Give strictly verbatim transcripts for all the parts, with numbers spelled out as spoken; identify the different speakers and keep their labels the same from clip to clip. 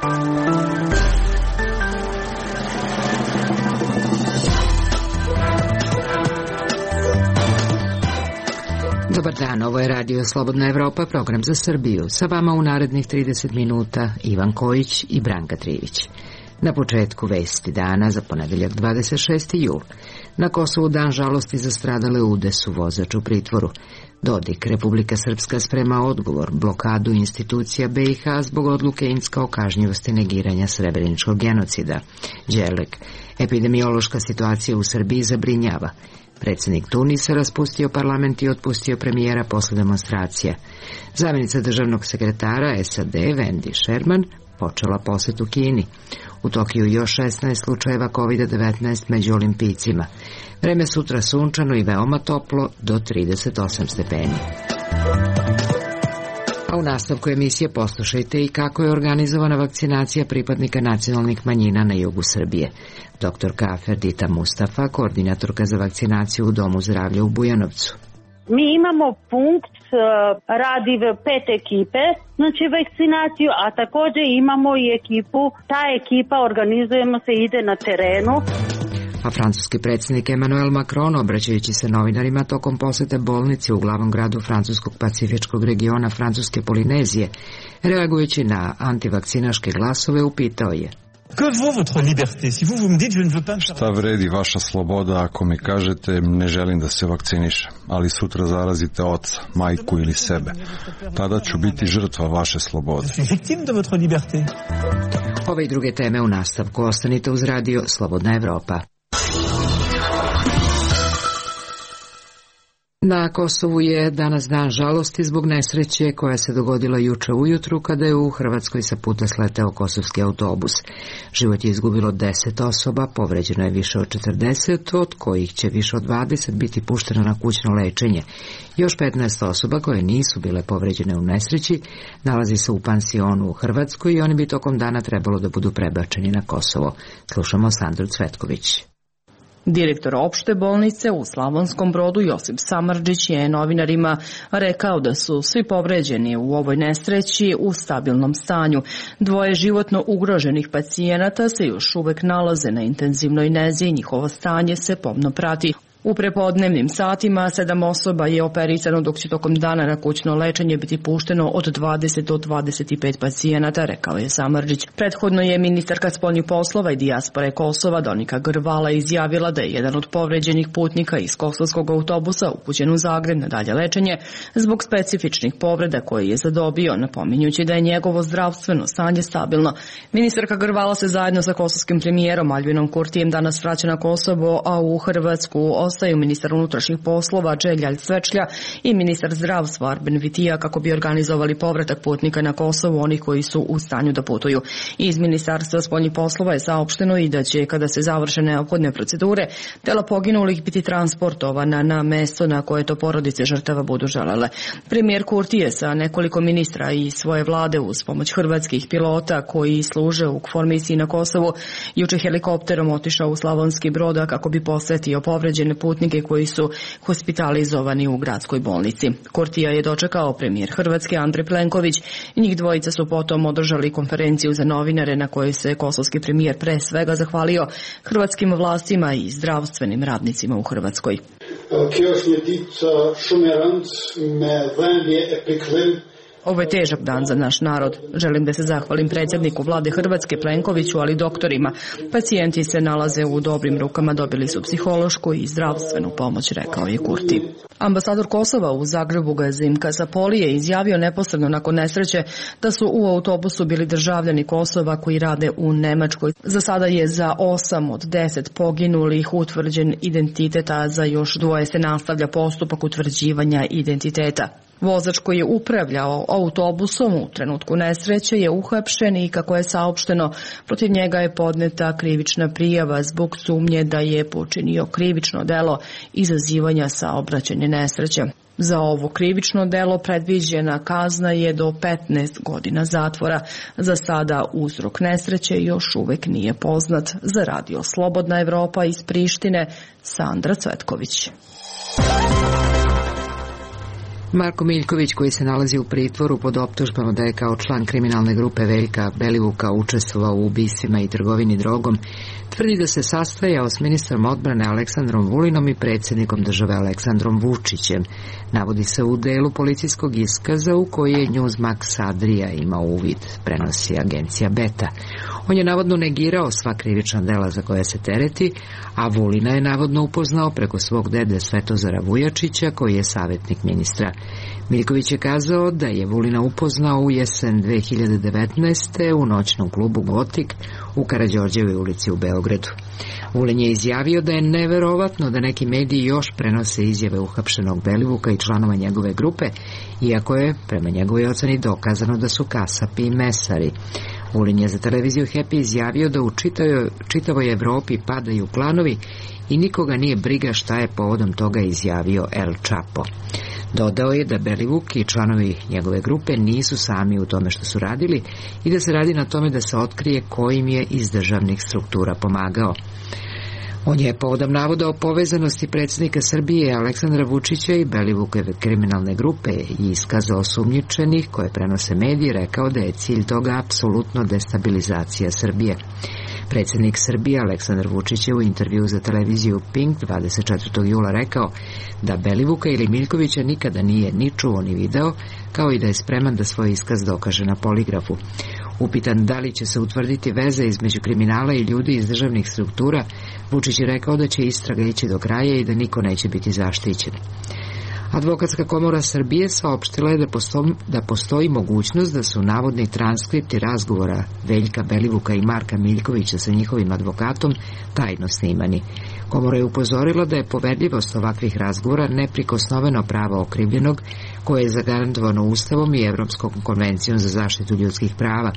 Speaker 1: Dobar dan, ovo je Radio Slobodna Evropa, program za Srbiju. Sa vama u narednih trideset minuta Ivan Kojić i Branka Trivić. Na početku vesti dana za ponedeljak dvadeset šesti jul. Na Kosovu dan žalosti za stradale u Udesu, vozač u pritvoru. Dodik, Republika Srpska sprema odgovor, blokadu institucija B i H zbog odluke Incka o kažnjivosti negiranja srebreničkog genocida. Đerlek, epidemiološka situacija u Srbiji zabrinjava. Predsjednik Tunisa raspustio parlament i otpustio premijera posle demonstracija. Zamjenica državnog sekretara S A D Wendy Sherman počela posjetu Kini. U Tokiju još šesnaest slučajeva kovid devetnaest među olimpijcima. Vreme sutra sunčano i veoma toplo do trideset osam stepeni. A u nastavku emisije poslušajte i kako je organizovana vakcinacija pripadnika nacionalnih manjina na jugu Srbije. Doktorka Ferdita Mustafa, koordinatorka za vakcinaciju u Domu zdravlja u Bujanovcu.
Speaker 2: Mi imamo punkt, radi v pet ekipe, znači vakcinaciju, a također imamo i ekipu, ta ekipa organizujemo se, ide na terenu.
Speaker 1: A francuski predsjednik Emmanuel Macron, obraćajući se novinarima tokom posete bolnici u glavnom gradu francuskog pacifičkog regiona Francuske Polinezije, reagujući na antivakcinaške glasove, upitao je:
Speaker 3: Šta vredi vaša sloboda ako mi kažete ne želim da se vakcinišem, ali sutra zarazite oca, majku ili sebe? Tada ću biti žrtva vaše slobode.
Speaker 1: Ove i druge teme u nastavku. Ostanite uz Radio Slobodna Evropa. Na Kosovu je danas dan žalosti zbog nesreće koja se dogodila juče ujutru kada je u Hrvatskoj sa puta sleteo kosovski autobus. Život je izgubilo deset osoba, povređeno je više od četrdeset, od kojih će više od dvadeset biti pušteno na kućno lečenje. Još petnaest osoba koje nisu bile povređene u nesreći nalazi se u pansionu u Hrvatskoj i oni bi tokom dana trebalo da budu prebačeni na Kosovo. Slušamo Sandru Cvetković.
Speaker 4: Direktor opšte bolnice u Slavonskom Brodu Josip Samardžić je novinarima rekao da su svi povređeni u ovoj nesreći u stabilnom stanju. Dvoje životno ugroženih pacijenata se još uvek nalaze na intenzivnoj nezi i njihovo stanje se pomno prati. U prepodnevnim satima sedam osoba je operisano, dok će tokom dana na kućno lečenje biti pušteno od dvadeset do dvadeset pet pacijenata, rekao je Samardžić. Prethodno je ministarka spoljnih poslova i dijaspore Kosova Donika Grvala izjavila da je jedan od povređenih putnika iz kosovskog autobusa upućen u Zagreb na dalje lečenje zbog specifičnih povreda koje je zadobio, napominjući da je njegovo zdravstveno stanje stabilno. Ministarka Grvala se zajedno sa kosovskim premijerom Albinom Kurtijem danas vraća na Kosovo, a u Hrvatsku ostaju ministar unutrašnjih poslova Đeljalj Svečlja i ministar zdravstva Arben Vitija kako bi organizovali povratak putnika na Kosovo, oni koji su u stanju da putuju. Iz Ministarstva spoljnih poslova je saopšteno i da će, kada se završe neophodne procedure, tela poginulih biti transportovana na mesto na koje to porodice žrtava budu želele. Premijer Kurti je sa nekoliko ministra i svoje vlade uz pomoć hrvatskih pilota koji služe u KFOR misiji na Kosovu juče helikopterom otišao u Slavonski Brod kako bi posetio povređene putnike koji su hospitalizovani u gradskoj bolnici. Kurtija je dočekao premijer Hrvatske Andrej Plenković i njih dvojica su potom održali konferenciju za novinare na kojoj se kosovski premijer pre svega zahvalio hrvatskim vlastima i zdravstvenim radnicima u Hrvatskoj. Ovo je težak dan za naš narod. Želim da se zahvalim predsjedniku vlade Hrvatske Plenkoviću, ali i doktorima. Pacijenti se nalaze u dobrim rukama, dobili su psihološku i zdravstvenu pomoć, rekao je Kurti. Ambasador Kosova u Zagrebu Gazim Kasapoli je izjavio neposredno nakon nesreće da su u autobusu bili državljani Kosova koji rade u Nemačkoj. Za sada je za osam od deset poginulih utvrđen identitet, a za još dvoje se nastavlja postupak utvrđivanja identiteta. Vozač koji je upravljao autobusom u trenutku nesreće je uhapšen i, kako je saopšteno, protiv njega je podneta krivična prijava zbog sumnje da je počinio krivično delo izazivanja saobraćajne nesreće. Za ovo krivično delo predviđena kazna je do petnaest godina zatvora. Za sada uzrok nesreće još uvek nije poznat. Za Radio Slobodna Evropa iz Prištine, Sandra Cvetković.
Speaker 1: Marko Miljković, koji se nalazi u pritvoru pod optužbama da je kao član kriminalne grupe Veljka Belivuka učestvovao u ubistvima i trgovini drogom, tvrdi da se sastajao s ministrom odbrane Aleksandrom Vulinom i predsjednikom države Aleksandrom Vučićem. Navodi se u delu policijskog iskaza u koji je Newsmax Adria imao uvid, prenosi agencija Beta. On je navodno negirao sva krivična dela za koje se tereti, a Vulina je navodno upoznao preko svog dede Svetozara Vujačića, koji je savjetnik ministra. Miljković je kazao da je Vulina upoznao u jesen dve hiljade devetnaeste. u noćnom klubu Gotik u Karađorđevoj ulici u Beogradu. Vulin je izjavio da je neverovatno da neki mediji još prenose izjave uhapšenog Belivuka i članova njegove grupe, iako je, prema njegovoj oceni, dokazano da su kasapi i mesari. Vulin je za televiziju Happy izjavio da u čitavoj, čitavoj Evropi padaju klanovi i nikoga nije briga šta je povodom toga izjavio El Chapo. Dodao je da Belivuk i članovi njegove grupe nisu sami u tome što su radili i da se radi na tome da se otkrije ko im je iz državnih struktura pomagao. On je povodom navoda o povezanosti predsjednika Srbije Aleksandra Vučića i Belivukove kriminalne grupe i iskaza osumnjičenih koje prenose mediji rekao da je cilj toga apsolutno destabilizacija Srbije. Predsjednik Srbije Aleksandar Vučić je u intervju za televiziju Pink dvadeset četvrtog jula rekao da Belivuka ili Miljkovića nikada nije ni čuo ni video, kao i da je spreman da svoj iskaz dokaže na poligrafu. Upitan da li će se utvrditi veze između kriminala i ljudi iz državnih struktura, Vučić je rekao da će istraga ići do kraja i da niko neće biti zaštićen. Advokatska komora Srbije saopštila je da postoji, da postoji mogućnost da su navodni transkripti razgovora Veljka Belivuka i Marka Miljkovića sa njihovim advokatom tajno snimani. Komora je upozorila da je poverljivost ovakvih razgovora neprikosnoveno pravo okrivljenog, koje je zagarantovano Ustavom i Evropskom konvencijom za zaštitu ljudskih prava.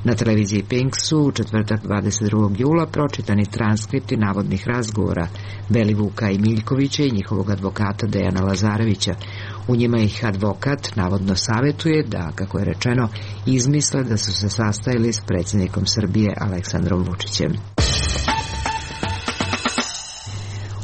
Speaker 1: Na televiziji Pink su u četvrtak dvadeset drugog jula pročitani transkripti navodnih razgovora Belivuka i Miljkovića i njihovog advokata Dejana Lazarevića. U njima ih advokat navodno savjetuje da, kako je rečeno, izmisle da su se sastajali s predsjednikom Srbije Aleksandrom Vučićem.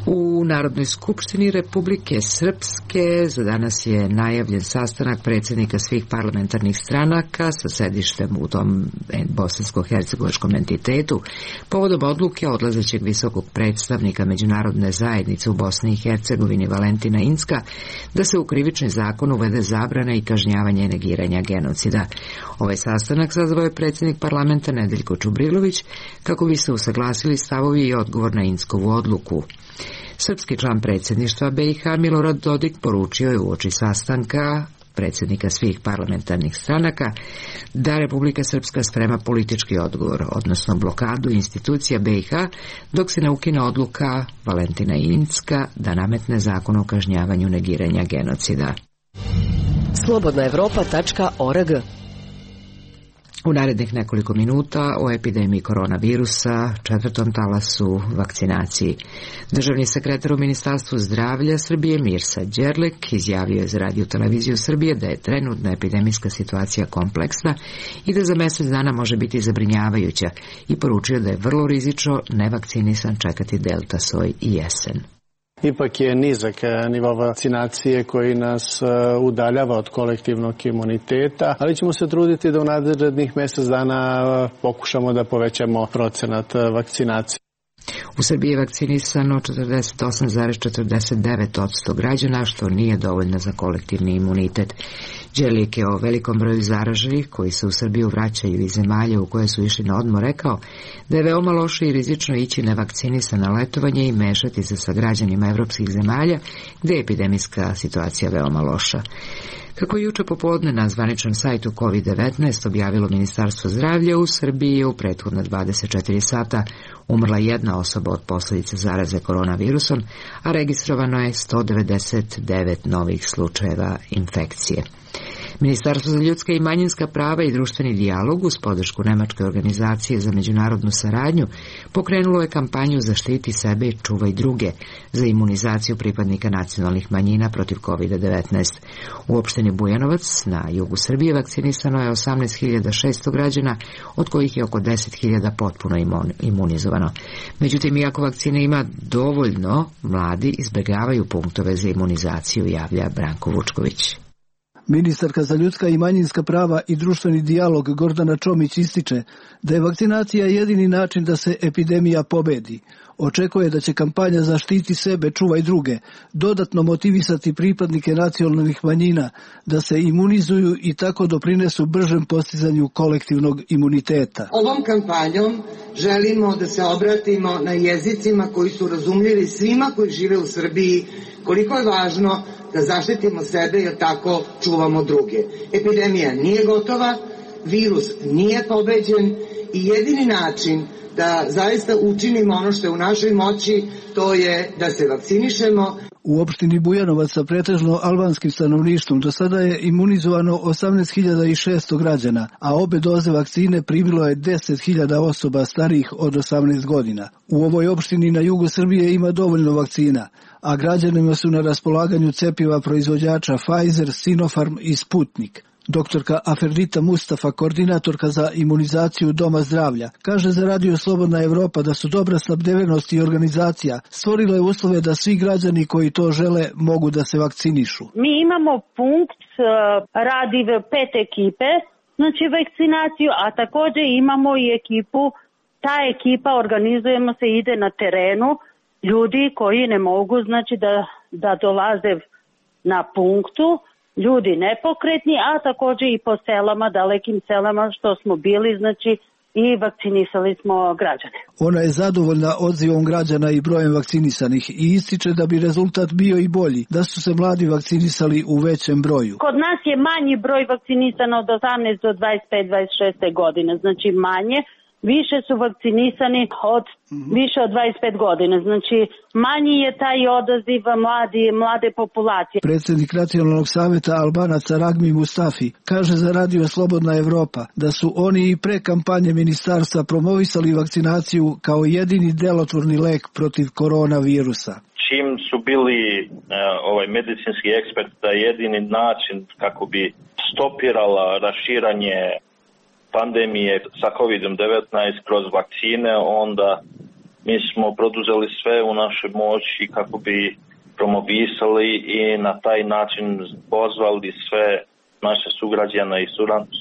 Speaker 1: U Narodnoj skupštini Republike Srpske za danas je najavljen sastanak predsjednika svih parlamentarnih stranaka sa sedištem u tom bosansko-hercegovačkom entitetu povodom odluke odlazećeg visokog predstavnika međunarodne zajednice u Bosni i Hercegovini Valentina Incka da se u krivični zakon uvede zabrana i kažnjavanje negiranja genocida. Ovaj sastanak sazvao je predsjednik parlamenta Nedeljko Čubrilović kako bi se usaglasili stavovi i odgovor na Inckovu odluku. Srpski član predsjedništva B i H Milorad Dodik poručio je uoči sastanka predsjednika svih parlamentarnih stranaka da Republika Srpska sprema politički odgovor, odnosno blokadu institucija B i H, dok se ne ukine odluka Valentina Incka da nametne zakon o kažnjavanju negiranja genocida.
Speaker 5: slobodna evropa tačka org.
Speaker 1: U narednih nekoliko minuta o epidemiji koronavirusa, četvrtom talasu, vakcinaciji. Državni sekretar u Ministarstvu zdravlja Srbije Mirsa Đerlek izjavio je za radio televiziju Srbije da je trenutna epidemijska situacija kompleksna i da za mjesec dana može biti zabrinjavajuća i poručio da je vrlo rizično nevakcinisan čekati delta soj i jesen.
Speaker 6: Ipak je nizak nivo vakcinacije koji nas udaljava od kolektivnog imuniteta, ali ćemo se truditi da u narednih mjesec dana pokušamo da povećamo procenat vakcinacije.
Speaker 1: U Srbiji je vakcinisano četrdeset osam zarez četrdeset devet posto građana, što nije dovoljno za kolektivni imunitet. Đerlik je o velikom broju zaraženih koji se u Srbiju vraćaju iz zemalja u koje su išli na odmor rekao da je veoma loše i rizično ići nevakcinisan na letovanje i mešati se sa građanima evropskih zemalja gde je epidemijska situacija veoma loša. Kako je juče popodne na zvaničnom sajtu kovid devetnaest objavilo Ministarstvo zdravlja, u Srbiji je u prethodna dvadeset četiri sata umrla jedna osoba od posljedica zaraze koronavirusom, a registrovano je sto devedeset devet novih slučajeva infekcije. Ministarstvo za ljudska i manjinska prava i društveni dijalog uz podršku Nemačke organizacije za međunarodnu saradnju pokrenulo je kampanju Zaštiti sebe i čuvaj druge za imunizaciju pripadnika nacionalnih manjina protiv kovid devetnaest. U opštini Bujanovac na jugu Srbije vakcinisano je osamnaest hiljada šesto građana, od kojih je oko deset hiljada potpuno imunizovano. Međutim, iako vakcine ima dovoljno, mladi izbjegavaju punktove za imunizaciju, javlja Branko Vučković.
Speaker 7: Ministarka za ljudska i manjinska prava i društveni dijalog Gordana Čomić ističe da je vakcinacija jedini način da se epidemija pobedi. Očekuje da će kampanja Zaštiti sebe, čuvaj druge dodatno motivisati pripadnike nacionalnih manjina da se imunizuju i tako doprinesu bržem postizanju kolektivnog imuniteta.
Speaker 8: Ovom kampanjom želimo da se obratimo na jezicima koji su razumljivi svima koji žive u Srbiji, koliko je važno da zaštitimo sebe jer tako čuvamo druge. Epidemija nije gotova, virus nije pobeđen i jedini način da zaista učinimo ono što je u našoj moći, to je da se vakcinišemo.
Speaker 7: U opštini Bujanovac sa pretežno albanskim stanovništvom do sada je imunizovano osamnaest hiljada šesto građana, a obe doze vakcine primilo je deset hiljada osoba starijih od osamnaest godina. U ovoj opštini na jugu Srbije ima dovoljno vakcina, a građanima su na raspolaganju cepiva proizvođača Pfizer, Sinopharm i Sputnik. Doktorka Aferdita Mustafa, koordinatorka za imunizaciju Doma zdravlja, kaže za Radio Slobodna Evropa da su dobra snabdevenost i organizacija stvorile uslove da svi građani koji to žele mogu da se vakcinišu.
Speaker 2: Mi imamo punkt, radi pet ekipe, znači vakcinaciju, a također imamo i ekipu, ta ekipa organizujemo se, ide na terenu, ljudi koji ne mogu znači da, da dolaze na punktu, ljudi nepokretni, a također i po selama, dalekim selama što smo bili, znači i vakcinisali smo građane.
Speaker 7: Ona je zadovoljna odzivom građana i brojem vakcinisanih i ističe da bi rezultat bio i bolji, da su se mladi vakcinisali u većem broju.
Speaker 2: Kod nas je manji broj vakcinisano od osamnaest do dvadeset pet dvadeset šest godine, znači manje. Više su vakcinisani od mm-hmm. više od dvadeset pet godina, znači manji je taj odaziv mladi, mlade populacije.
Speaker 7: Predsjednik Nacionalnog savjeta Albanaca Ragmi Mustafi kaže za Radio Slobodna Evropa da su oni i pre kampanje ministarstva promovisali vakcinaciju kao jedini delotvorni lek protiv koronavirusa.
Speaker 9: Čim su bili uh, ovaj medicinski ekspert da jedini način kako bi stopirala raširanje pandemije sa kovid devetnaest kroz vakcine, onda mi smo produzeli sve u našoj moći kako bi promovisali i na taj način pozvali sve naše sugrađane i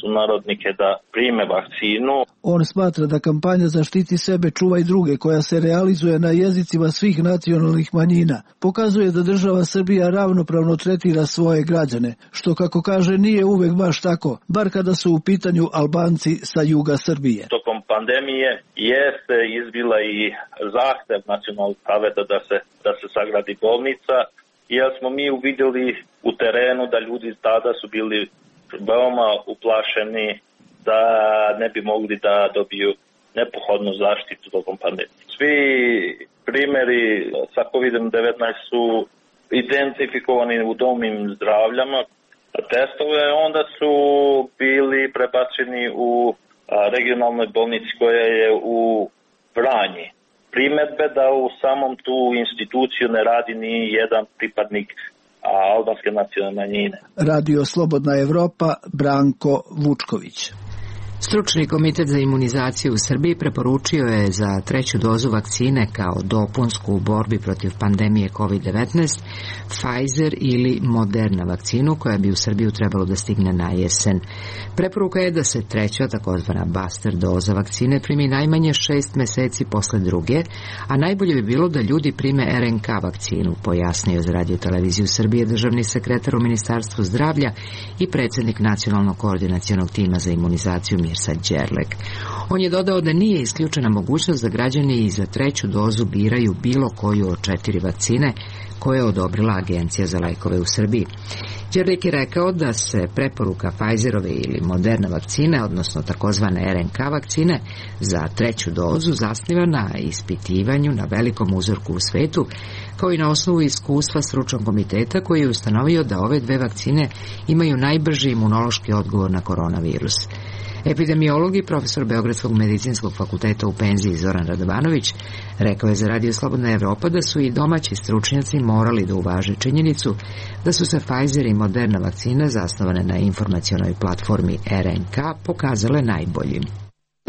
Speaker 9: sunarodnike da prime vakcinu.
Speaker 7: On smatra da kampanja Zaštiti sebe, čuvaj druge, koja se realizuje na jezicima svih nacionalnih manjina, pokazuje da država Srbija ravnopravno tretira svoje građane, što kako kaže nije uvek baš tako, bar kada su u pitanju Albanci sa juga Srbije.
Speaker 9: Tokom pandemije jeste izbila i zahtev Nacionalnog saveta da se, da se sagradi bolnica, jer smo mi uvidjeli u terenu da ljudi tada su bili veoma uplašeni da ne bi mogli da dobiju neophodnu zaštitu tokom pandemije. Svi primjeri sa kovid devetnaest su identifikovani u domim zdravljama testove, onda su bili prebačeni u regionalnoj bolnici koja je u Vranji. Primjedbe da u samom tu instituciju ne radi ni jedan pripadnik albanske nacionalne manjine.
Speaker 7: Radio Slobodna Evropa, Branko Vučković.
Speaker 1: Stručni komitet za imunizaciju u Srbiji preporučio je za treću dozu vakcine kao dopunsku u borbi protiv pandemije kovid devetnaest Pfizer ili Moderna vakcinu koja bi u Srbiju trebalo da stigne na jesen. Preporuka je da se treća, takozvana booster doza vakcine primi najmanje šest meseci posle druge, a najbolje bi bilo da ljudi prime er en ka vakcinu, pojasnio za Radio Televiziju Srbije državni sekretar u Ministarstvu zdravlja i predsjednik Nacionalnog koordinacionog tima za imunizaciju Mirsad Đerlek. On je dodao da nije isključena mogućnost da građani i za treću dozu biraju bilo koju od četiri vakcine koje je odobrila Agencija za lekove u Srbiji. Đerlek je rekao da se preporuka Pfizerove ili Moderna vakcine, odnosno takozvane er en ka vakcine, za treću dozu zasniva na ispitivanju na velikom uzorku u svetu, kao i na osnovu iskustva stručnog komiteta koji je ustanovio da ove dve vakcine imaju najbrži imunološki odgovor na koronavirus. Epidemiolog i profesor Beogradskog medicinskog fakulteta u penziji Zoran Radovanović rekao je za Radio Slobodna Evropa da su i domaći stručnjaci morali da uvaže činjenicu da su se Pfizer i Moderna vakcina zasnovane na informacionoj platformi R N K pokazale najboljim.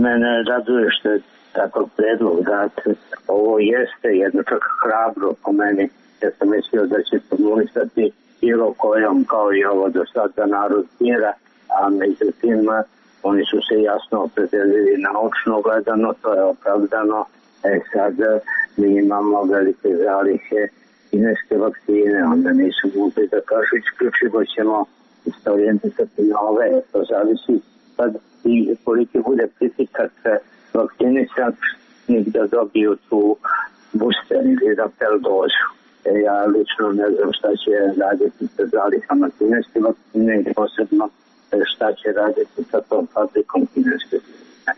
Speaker 10: Mene raduje što je takav predlog dat. Ovo jeste jedno čak hrabro po meni. Ja sam mislio da će formulisati bilo kojom kao i ovo do sada narod mira, a međutim oni su se jasno opredelili naučno gledano, to je opravdano. E sad mi imamo velike zalihe kineske vakcine, onda nisu mogli da kažu isključivo ćemo isto orijentisati na ove, to zavisi sad i koliki bude pritisak vakcinisanih da dobiju tu booster ili rappel dozu. E, ja lično ne znam šta će raditi sa zalihama kineske vakcine i posebno šta će raditi sa tom fabrikom kineske vakcine.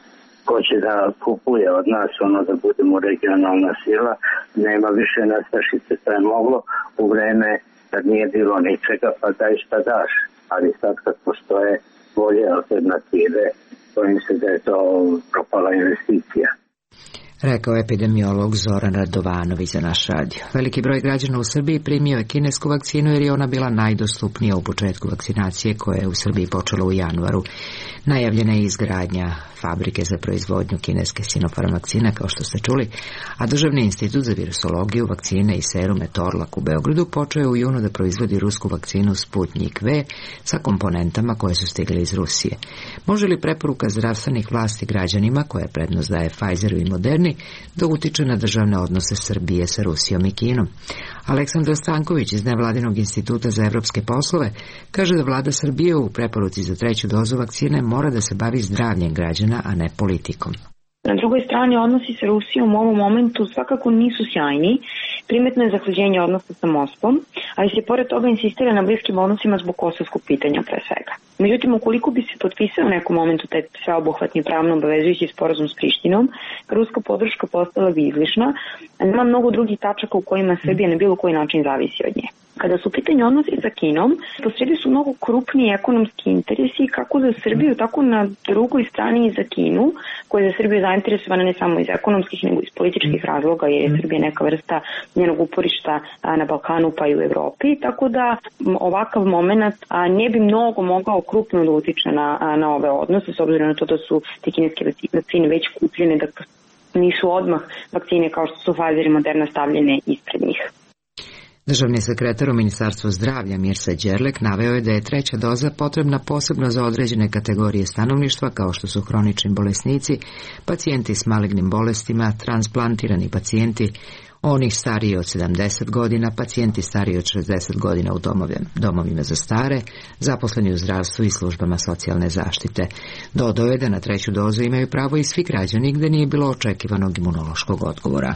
Speaker 10: Ko će da kupuje od nas ono da budemo regionalna sila, nema više nestašice, to je moglo u vreme kad nije bilo ničega, pa daj šta daš, ali sad kad postoje bolje alternative, bojim se da je to propala investicija.
Speaker 1: Rekao epidemiolog Zoran Radovanović za naš radio. Veliki broj građana u Srbiji primio je kinesku vakcinu jer je ona bila najdostupnija u početku vakcinacije koja je u Srbiji počela u januaru. Najavljena je izgradnja fabrike za proizvodnju kineske Sinopharm vakcine, kao što ste čuli, a Državni institut za virusologiju, vakcine i serume Torlak u Beogradu počeo je u junu da proizvodi rusku vakcinu Sputnik V sa komponentama koje su stigle iz Rusije. Može li preporuka zdravstvenih vlasti građanima, koja prednost daje Pfizeru i Moderni, da utiče na državne odnose Srbije sa Rusijom i Kinom? Aleksandra Stanković iz Nevladinog instituta za evropske poslove kaže da vlada Srbije u preporuci za treću dozu vakcine mora da se bavi zdravljem građana, a ne politikom.
Speaker 11: Na drugoj strani, odnosi sa Rusijom u ovom momentu svakako nisu sjajni. Primetno je zahlađenje odnosa sa Moskvom, ali se pored toga insistira na bliskim odnosima zbog kosovskog pitanja pre svega. Međutim, ukoliko bi se potpisao u nekom momentu taj sveobuhvatni pravno obavezujući sporazum s Prištinom, ruska podrška postala bi izlišna, a nema mnogo drugih tačaka u kojima Srbija na bilo koji način zavisi od nje. Kada su u pitanju odnosi sa Kinom, posredi su mnogo krupniji ekonomski interesi kako za Srbiju, tako na drugoj strani i za Kinu, koja je za Srbiju zainteresovana ne samo iz ekonomskih, nego iz političkih razloga, jer je Srbija neka vrsta njenog uporišta na Balkanu pa i u Evropi, tako da ovakav moment ne bi mnogo mogao krupno da utiče na, na ove odnose, s obzirom na to da su te kineske vakcine već kupljene, da nisu odmah vakcine kao što su Pfizer i Moderna stavljene ispred njih.
Speaker 1: Državni sekretar u Ministarstvu zdravlja Mirsa Đerlek naveo je da je treća doza potrebna posebno za određene kategorije stanovništva kao što su hronični bolesnici, pacijenti s malignim bolestima, transplantirani pacijenti, oni stariji od sedamdeset godina, pacijenti stariji od šezdeset godina u domovima za stare, zaposleni u zdravstvu i službama socijalne zaštite. Dodao je da na treću dozu imaju pravo i svi građani gde nije bilo očekivanog imunološkog odgovora.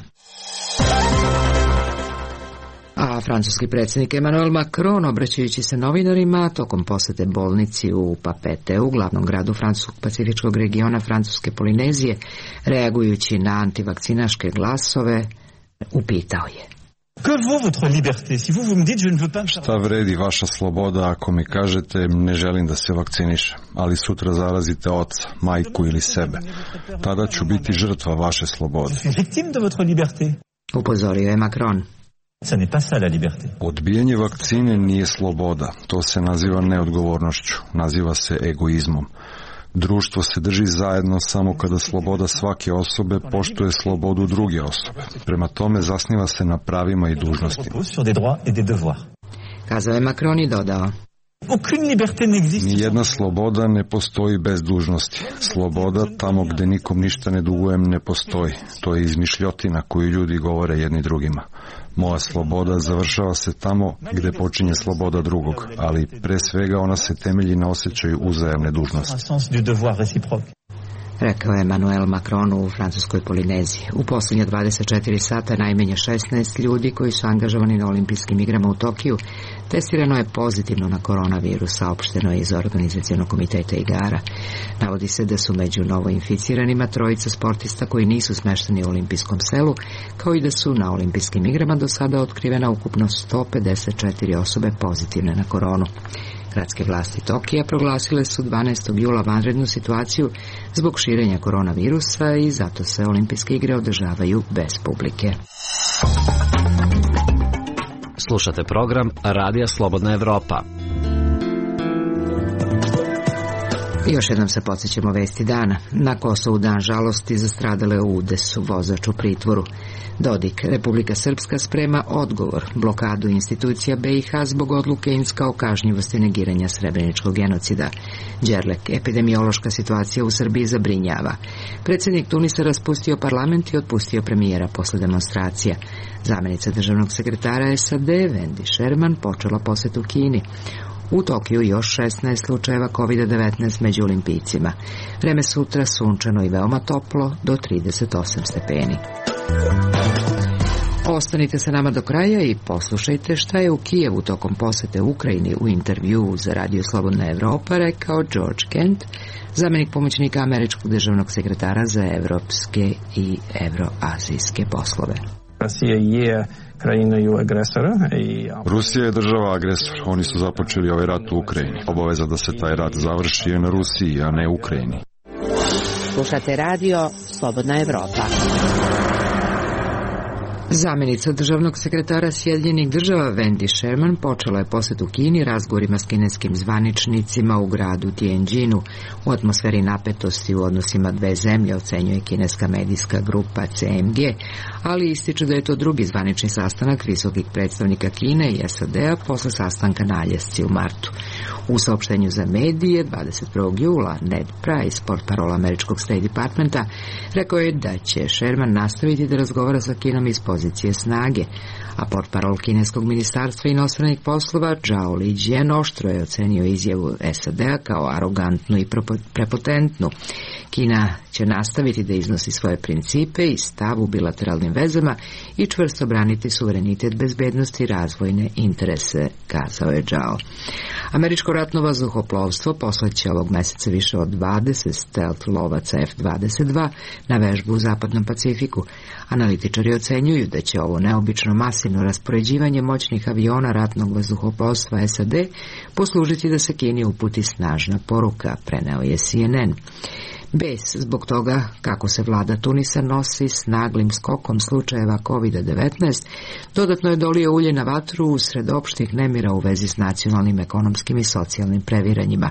Speaker 1: A francuski predsjednik Emmanuel Macron, obraćajući se novinarima tokom posete bolnici u Papeteu, glavnom gradu francuskog pacifičkog regiona Francuske Polinezije, reagujući na antivakcinaške glasove, upitao je:
Speaker 3: Šta vredi vaša sloboda ako mi kažete ne želim da se vakcinišem, ali sutra zarazite oca, majku ili sebe? Tada ću biti žrtva vaše slobode.
Speaker 1: Upozorio je Macron.
Speaker 3: Odbijanje vakcine nije sloboda, to se naziva neodgovornošću, naziva se egoizmom. Društvo se drži zajedno samo kada sloboda svake osobe poštuje slobodu druge osobe. Prema tome zasniva se na pravima i dužnostima.
Speaker 1: Kazao je Macron i dodao:
Speaker 3: Nijedna sloboda ne postoji bez dužnosti. Sloboda tamo gde nikom ništa ne dugujem ne postoji. To je izmišljotina koju ljudi govore jedni drugima. Moja sloboda završava se tamo gde počinje sloboda drugog, ali pre svega ona se temelji na osjećaju uzajamne dužnosti.
Speaker 1: rekao je Emmanuel Macron u francuskoj Polineziji. U posljednje dvadeset četiri sata najmanje šesnaest ljudi koji su angažovani na olimpijskim igrama u Tokiju testirano je pozitivno na koronavirus, saopšteno je iz organizacionog komiteta igara. Navodi se da su među novoinficiranima trojica sportista koji nisu smešteni u olimpijskom selu, kao i da su na olimpijskim igrama do sada otkrivena ukupno sto pedeset četiri osobe pozitivne na koronu. Gradske vlasti Tokija proglasile su dvanaestog jula vanrednu situaciju zbog širenja koronavirusa i zato se olimpijske igre održavaju bez publike.
Speaker 12: Slušate program Radija Slobodna Evropa.
Speaker 1: Još jednom se podsjećamo vesti dana. Na Kosovu dan žalosti za stradale u udesu, vozač u pritvoru. Dodik, Republika Srpska sprema odgovor, blokadu institucija B i H zbog odluke Inska o kažnjivosti negiranja srebreničkog genocida. Đerlek, epidemiološka situacija u Srbiji zabrinjava. Predsjednik Tunisa raspustio parlament i otpustio premijera posle demonstracija. Zamenica državnog sekretara S A D, Wendy Sherman, počela posjetu Kini. U Tokiju još šesnaest slučajeva kovid devetnaest među olimpijcima. Vreme sutra sunčano i veoma toplo, do trideset osam stepeni. Ostanite sa nama do kraja i poslušajte šta je u Kijevu tokom posete Ukrajini u intervjuu za Radio Slobodna Evropa rekao George Kent, zamjenik pomoćnika američkog državnog sekretara za evropske i evroazijske poslove.
Speaker 13: Rusija je krajinою agresora i
Speaker 3: Rusija je država agresor. Oni su započeli ovaj rat u Ukrajini. Obaveza da se taj rat završi je na Rusiji, a ne Ukrajini.
Speaker 1: Slušate radio Slobodna Evropa. Zamjenica državnog sekretara Sjedinjenih država Wendy Sherman počela je posjet u Kini razgovorima s kineskim zvaničnicima u gradu Tianjinu. U atmosferi napetosti u odnosima dve zemlje, ocenjuje kineska medijska grupa C M G, ali ističe da je to drugi zvanični sastanak visokih predstavnika Kine i S A D-a posle sastanka na Aljasci u martu. U saopštenju za medije dvadeset prvog jula Ned Price, portparol američkog State Departmenta, rekao je da će Sherman nastaviti da razgovara sa Kinom iz pozicije snage, a portparol kineskog ministarstva inostranih poslova Zhao Lijian oštro je ocenio izjavu S A D-a kao arogantnu i prepotentnu. Kina će nastaviti da iznosi svoje principe i stav u bilateralnim vezama i čvrsto braniti suverenitet, bezbednosti i razvojne interese, kazao je Zhao. Američko ratno vazduhoplovstvo poslaće ovog meseca više od dvadeset stealth lovaca F dvadeset dva na vežbu u Zapadnom Pacifiku. Analitičari ocenjuju da će ovo neobično masivno raspoređivanje moćnih aviona ratnog vazduhoplovstva S A D poslužiti da se Kini uputi snažna poruka, preneo je C N N. Bes zbog toga kako se vlada Tunisa nosi s naglim skokom slučajeva kovid devetnaest dodatno je dolio ulje na vatru usred opštih nemira u vezi s nacionalnim, ekonomskim i socijalnim previranjima.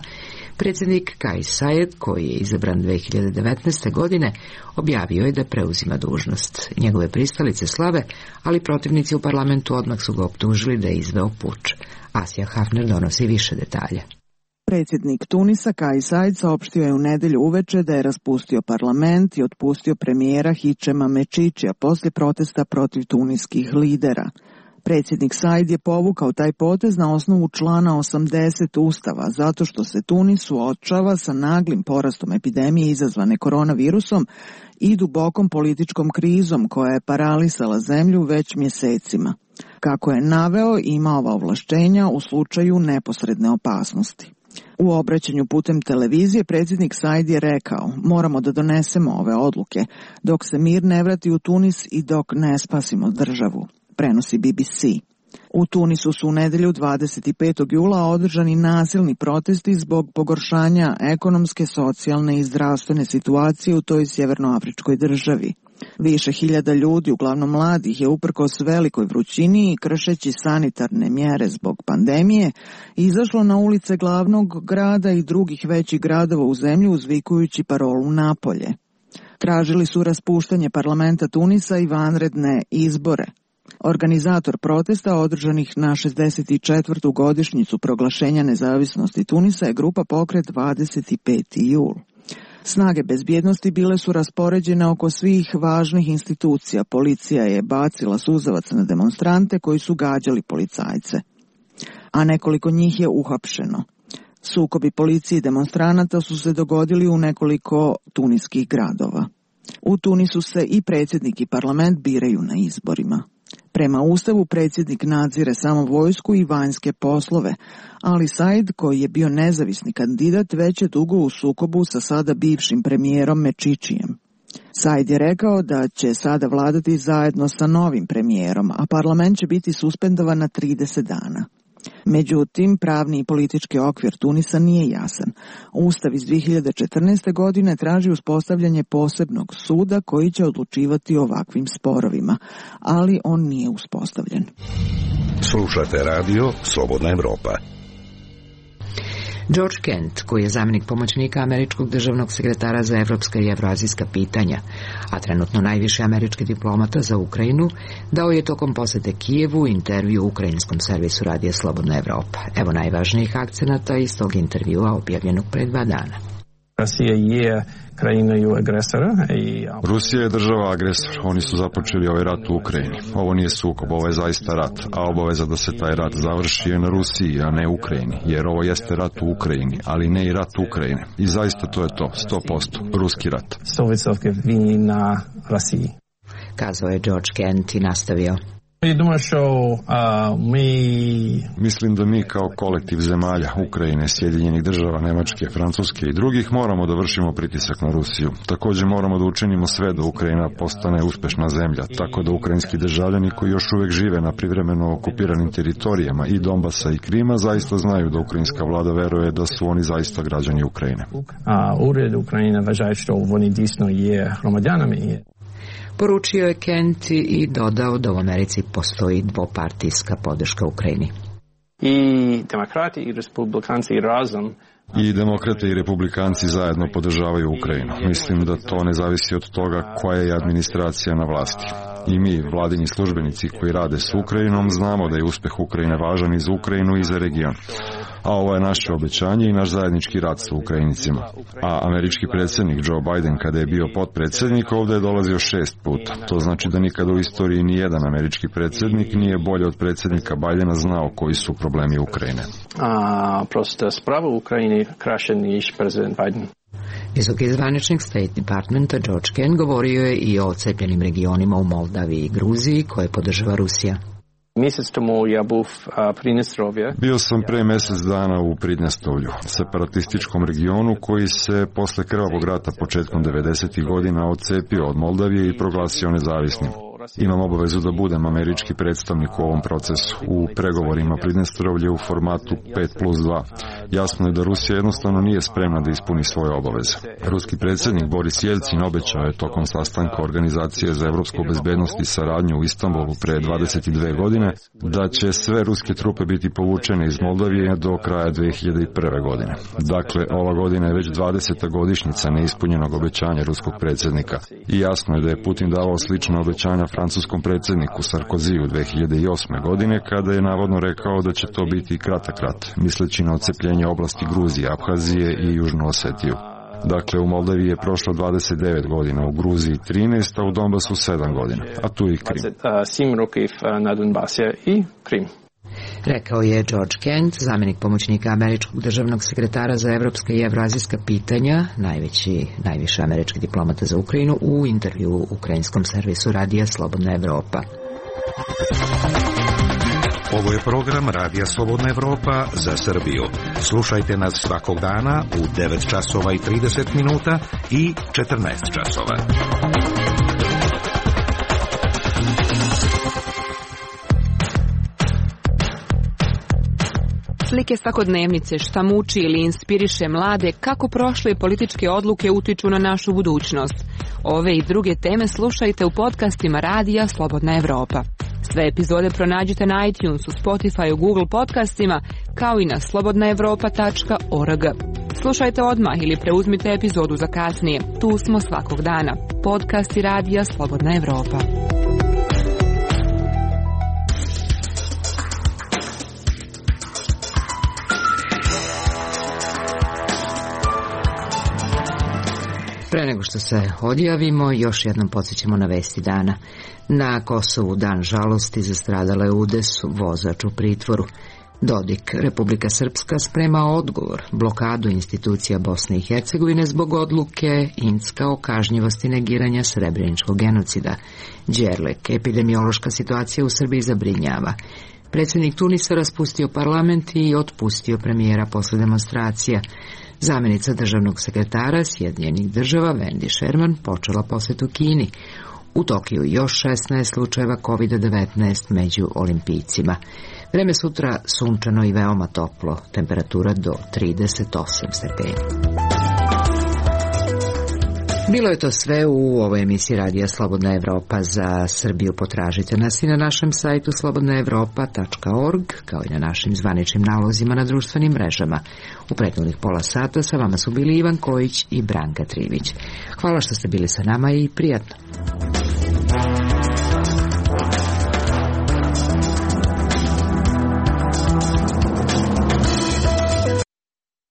Speaker 1: Predsjednik Kais Saied, koji je izabran dve hiljade devetnaeste. godine, objavio je da preuzima dužnost. Njegove pristalice slave, ali protivnici u parlamentu odmah su ga optužili da je izveo puč. Asija Hafner donosi više detalja.
Speaker 14: Predsjednik Tunisa Kais Saied saopštio je u nedelju uveče da je raspustio parlament i otpustio premijera Hichema Mečićija poslije protesta protiv tuniskih lidera. Predsjednik Saied je povukao taj potez na osnovu člana osamdeset Ustava, zato što se Tunis suočava sa naglim porastom epidemije izazvane koronavirusom i dubokom političkom krizom koja je paralisala zemlju već mjesecima. Kako je naveo, ima ova ovlaštenja u slučaju neposredne opasnosti. U obraćanju putem televizije predsjednik Saied je rekao: moramo da donesemo ove odluke dok se mir ne vrati u Tunis i dok ne spasimo državu, prenosi B B C. U Tunisu su u nedelju dvadeset petog jula održani nasilni protesti zbog pogoršanja ekonomske, socijalne i zdravstvene situacije u toj sjevernoafričkoj državi. Više hiljada ljudi, uglavnom mladih, je uprkos velikoj vrućini i kršeći sanitarne mjere zbog pandemije izašlo na ulice glavnog grada i drugih većih gradova u zemlji uzvikujući parolu napolje. Tražili su raspuštanje parlamenta Tunisa i vanredne izbore. Organizator protesta održanih na šezdeset četvrtu godišnjicu proglašenja nezavisnosti Tunisa je grupa Pokret dvadeset peti jul. Snage bezbjednosti bile su raspoređene oko svih važnih institucija. Policija je bacila suzavac na demonstrante koji su gađali policajce, a nekoliko njih je uhapšeno. Sukobi policije i demonstranata su se dogodili u nekoliko tuniskih gradova. U Tunisu se i predsjednik i parlament biraju na izborima. Prema Ustavu predsjednik nadzire samo vojsku i vanjske poslove, ali Said, koji je bio nezavisni kandidat, već je dugo u sukobu sa sada bivšim premijerom Mečićijem. Said je rekao da će sada vladati zajedno sa novim premijerom, a parlament će biti suspendovan na trideset dana. Međutim, pravni i politički okvir Tunisa nije jasan. Ustav iz dvije hiljade četrnaeste. godine traži uspostavljanje posebnog suda koji će odlučivati o ovakvim sporovima, ali on nije uspostavljen.
Speaker 15: Slušate radio Slobodna Evropa.
Speaker 1: George Kent, koji je zamjenik pomoćnika američkog državnog sekretara za evropska i evroazijska pitanja, a trenutno najviši američki diplomata za Ukrajinu, dao je tokom posete Kijevu intervju ukrajinskom servisu radija Slobodna Evropa. Evo najvažnijih akcenata iz tog intervjua objavljenog pre dva dana.
Speaker 13: Rusija je krajinою agresora. I...
Speaker 3: Rusija je država agresor. Oni su započeli ovaj rat u Ukrajini. Ovo nije sukob, ovo je zaista rat. A obaveza da se taj rat završi je na Rusiji, a ne Ukrajini. Jer ovo jeste rat u Ukrajini, ali ne i rat Ukrajine. I zaista to je to, sto posto. Ruski rat.
Speaker 13: sto posto vini na Rusiji.
Speaker 1: Kazao je George Kent i nastavio.
Speaker 3: Mislim da mi kao kolektiv zemalja, Ukrajine, Sjedinjenih država, Nemačke, Francuske i drugih moramo da vršimo pritisak na Rusiju. Također moramo da učinimo sve da Ukrajina postane uspešna zemlja, tako da ukrajinski državljani koji još uvek žive na privremeno okupiranim teritorijama i Donbasa i Krima zaista znaju da ukrajinska vlada veruje da su oni zaista građani Ukrajine.
Speaker 13: Ured Ukrajine važaje što oni disno je hromadjanami.
Speaker 1: Poručio je Kent i dodao da u Americi postoji dvopartijska podrška Ukrajini.
Speaker 13: I demokrati i republikanci razom
Speaker 3: I demokrate i republikanci zajedno podržavaju Ukrajinu. Mislim da to ne zavisi od toga koja je administracija na vlasti. I mi, vladini službenici koji rade s Ukrajinom, znamo da je uspeh Ukrajine važan i za Ukrajinu i za region. A ovo je naše obećanje i naš zajednički rad sa Ukrajinicima. A američki predsjednik Joe Biden, kada je bio potpredsjednik, ovdje je dolazio šest puta. To znači da nikada u istoriji ni jedan američki predsjednik nije bolje od predsjednika Bidena znao koji su problemi Ukrajine.
Speaker 13: A, prosto sprava u Ukrajini kraše niš prezident Biden.
Speaker 1: Visoki zvaničnik State Departmenta George Kent govorio je i o odcepljenim regionima u Moldaviji i Gruziji koje podržava Rusija.
Speaker 13: Mjesec tomu ja buv Pridnjestrovje.
Speaker 3: Bio sam pre mjesec dana u Pridnjestrovlju, separatističkom regionu koji se posle krvavog rata početkom devedesetih godina odcepio od Moldavije i proglasio nezavisnim. Imam obavezu da budem američki predstavnik u ovom procesu, u pregovorima Pridnjestrovlje u formatu pet plus dva. Jasno je da Rusija jednostavno nije spremna da ispuni svoje obaveze. Ruski predsjednik Boris Jelcin obećao je tokom sastanka Organizacije za evropsku bezbednost i saradnju u Istanbulu pre dvadeset dve godine da će sve ruske trupe biti povučene iz Moldavije do kraja dve hiljade prve. godine. Dakle, ova godina je već dvadeseta godišnjica neispunjenog obećanja ruskog predsjednika. I jasno je da je Putin davao slična obećanja francuskom predsjedniku Sarkoziju dve hiljade osme. godine kada je navodno rekao da će to biti kratak rat, misleći na odcepljenje oblasti Gruzije, Abhazije i Južnu Osetiju. Dakle, u Moldaviji je prošlo dvadeset devet godina, u Gruziji trinaest, a u Donbasu sedam godina, a tu i Krim.
Speaker 13: sedam rokів na Donbasі i Krim.
Speaker 1: Rekao je George Kent, zamjenik pomoćnika američkog državnog sekretara za evropska i evroazijska pitanja, najveći, najviši američki diplomata za Ukrajinu, u intervju u ukrajinskom servisu radija Slobodna Evropa.
Speaker 15: Ovo je program Radija Slobodna Evropa za Srbiju. Slušajte nas svakog dana u devet časova i trideset minuta i četrnaest časova.
Speaker 16: Slike svakodnevnice, šta muči ili inspiriše mlade, kako prošle političke odluke utiču na našu budućnost. Ove i druge teme slušajte u podcastima Radija Slobodna Evropa. Sve epizode pronađite na iTunesu, Spotifyu, Google podcastima, kao i na slobodna evropa tačka org. Slušajte odmah ili preuzmite epizodu za kasnije. Tu smo svakog dana. Podcasti Radija Slobodna Evropa.
Speaker 1: Pre nego što se odjavimo, još jednom podsjećamo na vesti dana. Na Kosovu dan žalosti za stradale u udesu, vozač u pritvoru. Dodik, Republika Srpska sprema odgovor, blokadu institucija Bosne i Hercegovine zbog odluke Incka o kažnjivosti negiranja srebreničkog genocida. Đerlek, epidemiološka situacija u Srbiji zabrinjava. Predsjednik Tunisa raspustio parlament i otpustio premijera posle demonstracija. Zamjenica državnog sekretara Sjedinjenih država Wendy Sherman počela posjetu Kini. U Tokiju još šesnaest slučajeva kovid devetnaest među olimpijcima. Vreme sutra sunčano i veoma toplo, temperatura do trideset osam stepeni. Bilo je to sve u ovoj emisiji Radija Slobodna Evropa. Za Srbiju potražite nas i na našem sajtu slobodna evropa tačka org, kao i na našim zvaničnim nalozima na društvenim mrežama. U prethodnih pola sata sa vama su bili Ivan Kojić i Branka Trivić. Hvala što ste bili sa nama i prijatno.